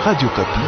Radio Okapi.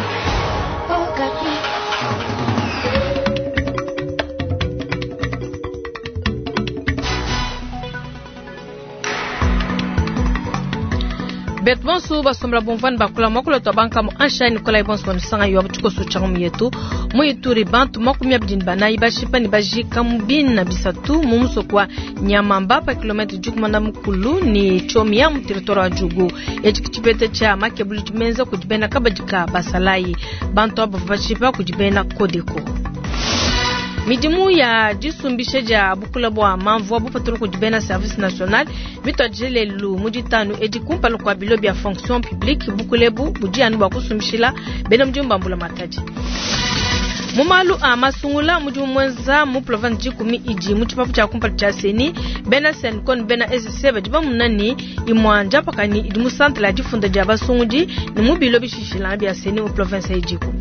Betu bonso basombela bumvua ne bakula muakulu tua bankamu ansha Nikolai bonso banusanga yo tshikoso tshia ngumu yetu mu Ituri bantu 24 bashipa ne bajika mu bina bisatu mu musoko wa Nyamamba pa kilometre dikumana mukulu ne Tchomia mu territoire wa Djugu. Etshi tshipeta tshia makebulu dimenza kudi bena kabadi ka basalayi bantu aba bashipa kudi bena Codeco. Midimu ya disumbisha dia bukula bua manvua bupatula kudi bena service national mituadije lelu mu ditanu edi kumpala kua bilo bia fonction publique. Bukula ebu budi anu bua kusumbishila bena mudimu ba mbulamatadi. Mu malu a masungula mudimu muenza mu province 10 idi mu tshipapu tshia kumpala tshia CENI, bena CENCO ne bena SC badi bamuna ne imua ndiapakanyi idi mu centre ya difunda dia basungudi ne mu bilo bishishilanga bia CENI mu province idiku.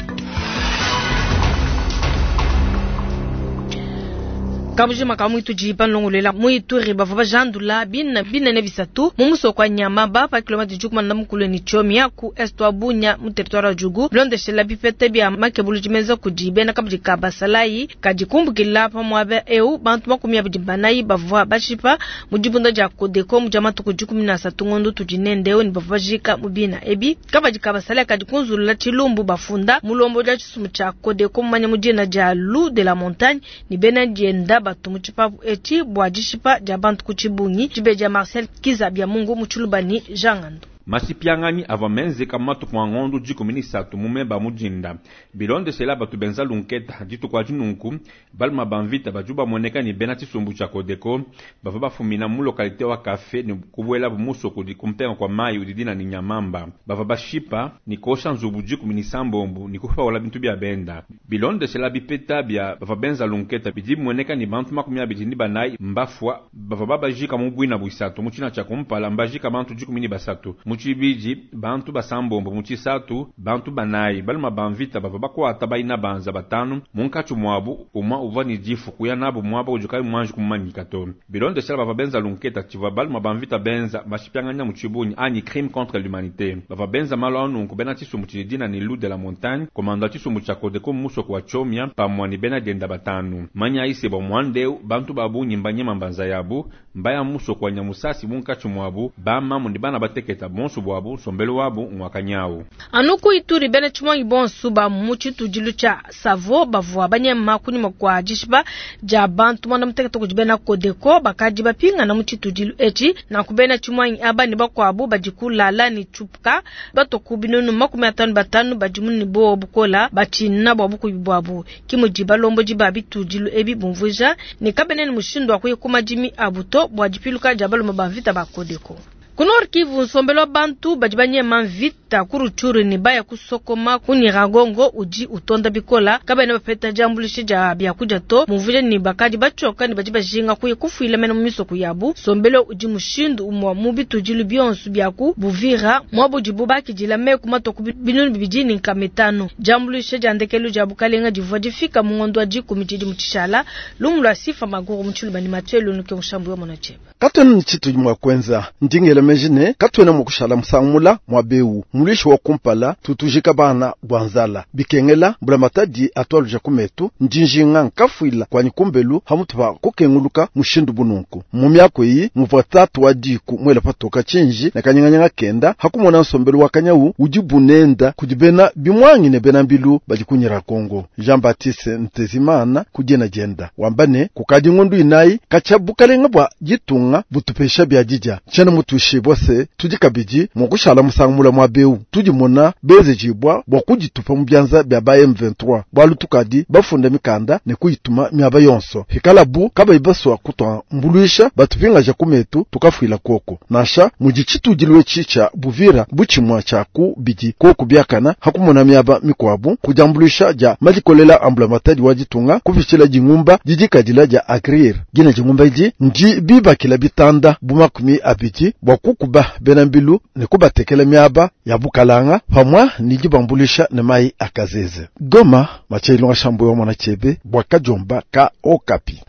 Kabujima ka muitu di banlongolola mu Ituri bavua bajandula bina binene bisatu mu musoko wa Nyamaba pa kilometre dikumana mukulu ne Tchomia ku est wa Bunia mu territoire wa Djugu bilondeshela bipeta bia makebulu dimenza kudi bena kabidi ka basalayi kadi kumbukila pa muaba eu bantu 24 bavua bashipa mu dibunda dia Codeco mu dia matuku 13 ngondo tudi nendeu ne bavua bajika mu bina ebi. Kabadi ka basalayi kadi kunzulula tshilumbu bafunda mulombo dia tshisumbu tshia Codeco mumanya mu dina dia Loup de la Montagne ne bena dienda batu mu tshipapu etshi bua dishipa dia bantu ku tshibungi tshibe dia Marcel Kiza bia Mungu mu tshiluba ni Jean Ngando. Masipianganyi avua menzeka matuku a ngondo 13 mu meba mudinda bilondeshela batu benza lunketa dituku adi nunku baluma ba mvita badi bamueneka ne bena tshisumbu tshia Codeco bavua bafumina mu localité wa Café ne kubuelabu musoko udi kumpenga kua mayi udi dina ne Nyamamba. Bavua bashipa ne kosha nzubu 16 ne kupaula bintu bia benda bilondeshela bipeta bia bavua benza lunketa bidi bimueneka ne bantu 24 mbafua bavua babajika mu bwina bwisatu mu tshina tshia kumpala mbajika bantu 13 mu tshibidi bantu basambombo mu tshisatu bantu banayi baluma ba mvita bavua bakwata bayina banza batanu munkatshi muabu umwa uvua ne difu kuya nabo muaba udi kayi muanji kumanyika to. Bilondeshela bavua benza lunketa tshivua baluma ba mvita benza bashipianganya mu tshibunyi anyi crime contre l'humanité. Bavua benza malu anunku bena tshisumbu tshidi dina ne Loup de la Montagne komanda tshisumbu tshia Codeco musoko wa Tchomia pamua ne bena dienda batanu. Manya ise bua muandeu bantu babunyi mbanyema mbanza yabu mbaya musoko wa Nyamusasi munkatshi muabu bamamu ne bana bateketa bonso bwabu nsombelo wabu ngwakanyau. Anu ku Ituri bena tshimonyi bonso ba mu tshitudilu tshia Savo bavua banyema kunyima kua dishipa dia bantu mwana mutekete kudi bena Codeco bakadi bapingana mu tshitudilu etshi. Nanku bena tshimonyi aba ne bakuabu badi kulala ne tshupuka batoku binunu 55 badi mu ne bo bukola batshina bua bukubi bwabu. Kimudi balombodi ba bitudilu ebi bumvuija ne kabene ne mushindu wa kuya ku madimi abu to bua dipiluka dia balume ba mvita ba Codeco. Ku Nord Kivu nsombelo wa bantu badi banyema mvita ku Rutshuru ne baya kusokoma ku Nyiragongo udi utonda bikola kabena bapeta diambuluisha dia biakudia to mumvuija ne bakadi batshoka ne badi bajinga kuya kufuila mena mu misoko yabu. Nsombelo udi mushindu umua mu bitudilu bionso bia ku Buvira muabudibu bakidila meku matoku 2500. Diambuluisha dia ndekelu dia bukalenga divua difika mu ngondo wa 10 tshidi tshishala lumu lwa Sifa Maguru mu Tshiluba ne Mathieu Lunuke mushambu wa Monacheba. Katwena ni tshitu mwa kwenza ndingela mejine katwena mukushala musangula mwa beu mulishi wa kumpala tutujika bana bwanzala bikengela mbulamatadi atwaluja kumetu ndinjinga nkafuila kwani kumbelu hamutu pa kukenguluka mushindu bununku mu myako iyi muvua tatu wa diku mwela patoka tshinji na kanyanganyanga kenda hakumona nsombelu wa kanyau udi bunenda kudi bena bimwangi ne bena mbilu badi kunyira Kongo. Jean Baptiste Ntezimana kudiena dienda wambane kukadi ngondu inayi kacha bukalenga bwa ditunga butupesha bya didya tshena mutushi bose tudi kabidi mukushala musangula mwa beu tudi mona bezejibwa bwa kuditupa mu byanza bya ba M23 bwalu tukadi bafunda mikanda ne kuyituma myaba yonso hikalabu kabayi baswa kutwa mbuluisha batupingaja kumetu tukafuila koko nasha mudi tshitudilwe tshi Buvira buchimwa cha ku bidi koko byakana hakumona myaba mikwabu kujambuluisha ja madikolela ambulamatadi wa ditunga kupitshila dingumba didikadila ja agrir gina dingumba idi ndi bibakila bitanda bumakumi abidi bwa kukuba bena mbilu ne kubatekela miaba ya bukalanga pamwa ni dibambulisha ne mai akazeze. Goma Mathieu Shambo wa mwana chebe bwa kajomba ka Okapi.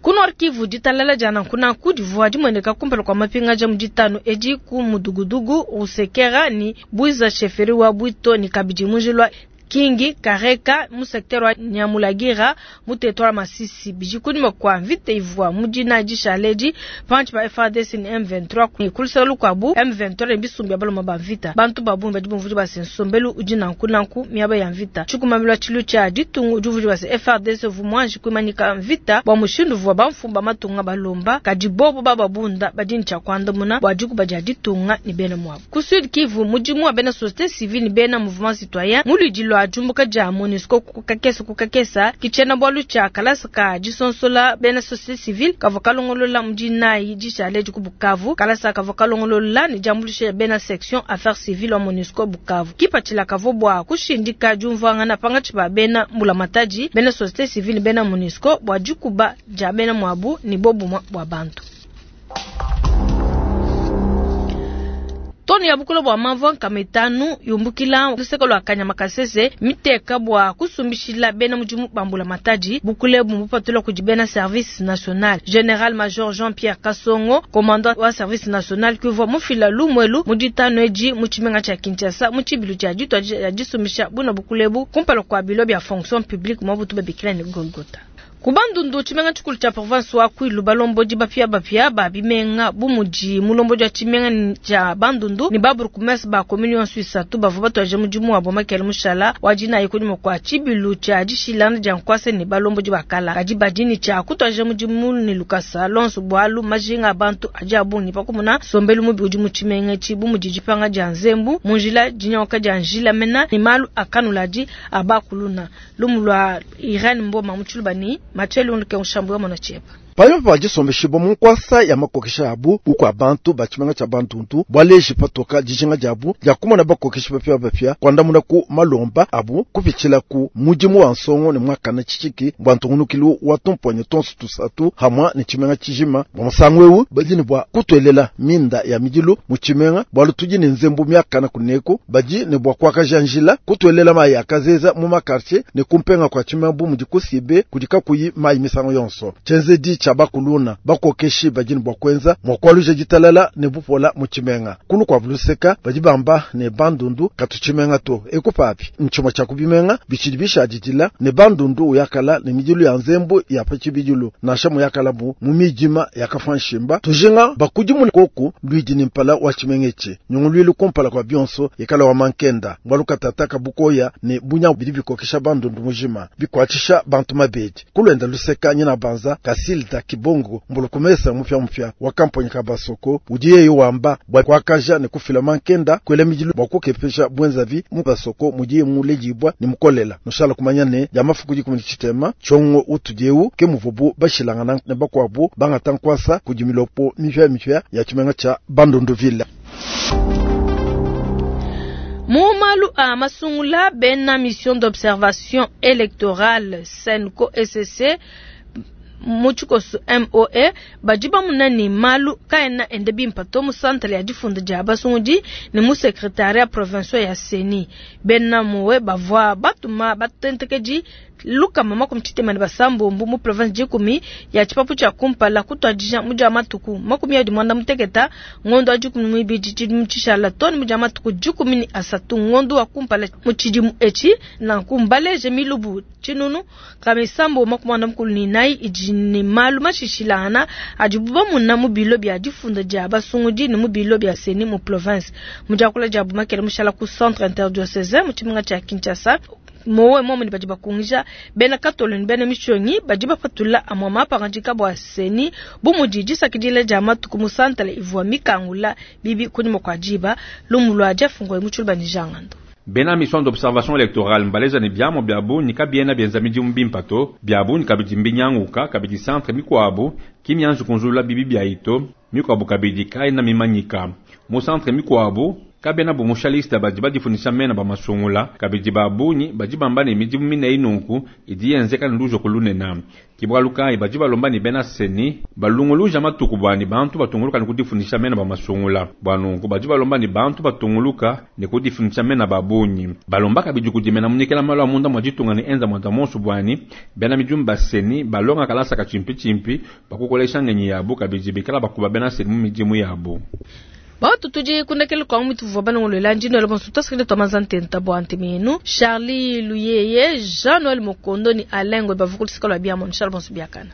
Ku Nord Kivu, ditalala dia nanku nanku divua dimueneka kumpala kua mapingaja mu ditanu edi ku Mudugudugu, Rusekera ne Bwiza chefferie wa Bwito ne kabidi mu njila wa Kingi Kareka mu secteur wa Nyamulagira mu territoire wa Masisi. Bidi kunyima kua mvita ivua mu dinayi dishala edi pankatshi pa FARDC ne M23 ne ku luseke lukuabu M23 ne bisumbu bia baluma ba mvita. Bantu ba bungi badi bumvua bua se nsombelu udi nanku nanku miaba ya mvita. Tshikumamilu wa tshilu tshia ditunga udi umvuija bua se FARDC uvua muanji kuimanyika mvita bua mushindu uvua bamfumu ba matunga balomba, kadi bobu bababunda badi ne tshia kuandamuna bua dikuba dia ditunga ne bena muabu. Ku Sud Kivu, mudimu wa bena societe civile ne bena mouvement citoyen mu luidi lua diumbuka dia Monusco ku kakesa ku kakesa ki tshiena bualu tshia kalasa ka disonsola bena societe civile kavua kalongolola mu dinayi dishale edi ku Bukavu. Kalasa kavua kalongolola ne diambuluisha dia bena section affaires civiles wa Monusco Bukavu. Kipatshila kavua bua kushindika diumvuangana pankatshi pa bena mbulamatadi, bena societe civile ne bena Monusco bua dikuba dia bena muabu ne bobumue bua bantu. Tone ya bukula bua manvua 500 yumbukila luseke lua Kanyama Kasese miteka bua kusumbishila bena mudimu ba mbulamatadi. Bukula ebu mbupatula kudi bena service national. General Major Jean-Pierre Kasongo, commandant wa service national, kuvua mufila lumuelu mu ditanu edi mu tshimenga tshia Kinshasa mu tshibilu tshia ditua dia disumbisha buna bukula ebu kumpala kua bilo bia fonction publique muabu tubabikila ne Golgotha. Ku Bandundu, tshimenga tshikulu tshia province wa Kwilu, balombodi bapiabapia ba bimenga bu mudi mulombodi wa tshimenga tshia Bandundu ne ba bourgmestre ba commune yonso isatu bavua batuadije mudimu wabo Makele mushala wa dinayi kunyima kua tshibilu tshia dishilangana dia nkuasa ne balombodi ba kala. Kadi badi ne tshia kutuadija mudimu ne lukasa lonso bualu majinga a bantu adi a bungi pa kumona nsombelu mubi udi mu tshimenga etshi bu mudi dipanga dia nzembu mu njila, dinyanguka dia njila mena ne malu a kanuladi a bakuluna. Lumu lua Irene Mboma mu Tshiluba ne Mathieu Lunduke Mushambu wa Mona Tshiepa. Panyima pa disombeshibua mu nkuasa ya makokesha abu bukua bantu ba tshimenga tshia Bandundu bualeji patoka dijinga diabu dia kumona bakokeshi bapiabapia kuandamuna ku malomba abu kupitshila ku mudimu wa nsongo ne muakana tshishiki bua ntungunukilu wa tumponyo tonso tusatu hamwa ne tshimenga tshijima. Bua musangu eu badi ne bua kutuelela minda ya midilu mu tshimenga bualu tudi ne nzembu miakana kuneku, badi ne bua kuakaja njila kutuelela mayi akazeza mu makartier ne kumpenga kua tshimenga bu mudi kusibe kudi kakuyi mayi misangu yonso. Tshienzedi tshia bakuluna bakokeshi badi ne bua kuenza mua kualuja ditalala ne bupola mu tshimenga. Kulu kua luseka badi bamba ne Bandundu katu tshimenga to ekupapi ntshimue tshia kubimenga bitshidi bishadidila ne Bandundu uyakala ne midilu ya nzembu ya pa tshibidilu nansha muyakala bu mu midima ya kafanshimba tujinga bakudimuna koku luidi ne mpala wa tshimenga etshi nyunguluilu kumpala kua bionso ikala wa mankenda mbalu katataka bukoya ne bunya bidi bikokesha Bandundu mujima bikuatshisha bantu mabedi kulwenda luseka nyina banza Kasilda Kibongo mbulukumesa mupya mupya wa kamponyi ka Basoko udiye wamba bwa kwakaja ne kufila mankenda kwela midilu bwa kukepesha bwenzavi mu Basoko mudiye mulejibwa ne mukolela nushala kumanya ne ya mafuku dikumi tshitema tshongo utudieu ke muvubu bashilangana ne bakwabu bangata nkwasa kudi milopo mipya mipya ya tshimenga tsha Bandundu ville. Mu malu a masungula bena mission d'observation électorale SENCO SSC mu tshikoso MOE badi bamuna ne malu kaena ende bimpe to mu centre ya difunda dia basungudi ne mu secrétariat provincial ya CENI. Bena MOE bavua batuma batentekedi 166 mu province 10 ya tshipapu tshia kumpala kutuadija mu dia matuku 26 ngondo wa 12 tshidimu tshishala to ne mu dia matuku 13 ngondo wa kumpala mu tshidimu etshi nanku mbaleje milubu tshinunu 644 idi ne malu mashishilangana adibu bamuna mu bilo bia difunda dia basungudi ne mu bilo bia CENI mu province. Mu diakula dia Bumakele mushala ku centre interdiocesain mu tshimenga tshia Kinshasa. Mowe momwe badi bakungija bena katolo ne bena mishonyi badi bapatula amwa mapangadika bua CENI bu mudi disakidila dia matuku mu santale ivua mikangula bibi kunyima kua diba lumu lua Jeff Ngoy mu Tshiluba ne Jangando. Bena mission d'observation électorale mbaleza ne biamo biabu ni kabiena bienza midimu bimpe to biabu ni kabidi mbinyanguka kabidi centre mikuabu kimianzu kunzulula bibi bia ito mikuabu kabidi kaina mimanyika mu centre mikuabu. Kabena bumusha liste badi badifundisha mena ba masungula, kabidi ba bungi badi bamba ne midimu mine nunku idi yenzeka ne lujoko lunene. Ke bualu kayi badi balomba ne bena CENI balunguluja matuku bua ne bantu batunguluka ne kudifundisha mena ba masungula. Bua nunku badi balomba ne bantu batunguluka ne kudifundisha mena ba bungi. Balomba kabidi kudimena munyekela malu a munda mua ditunga ne enza muanda monso bua ne bena midimu ba CENI balonga kalasa ka tshimpi bakukolesha ngenyi yabu kabidi bikala bakuba bena CENI mu midimu yabu. Batu tudi kundekele kwa mutu vua balongolola ndino le bonso tasikile twa ntenta bua ntemenu Charlie Luyeye Jean Noël Mokondo ni Alain Ngwe bavukulisika lwa biamon Charles bonso biakana.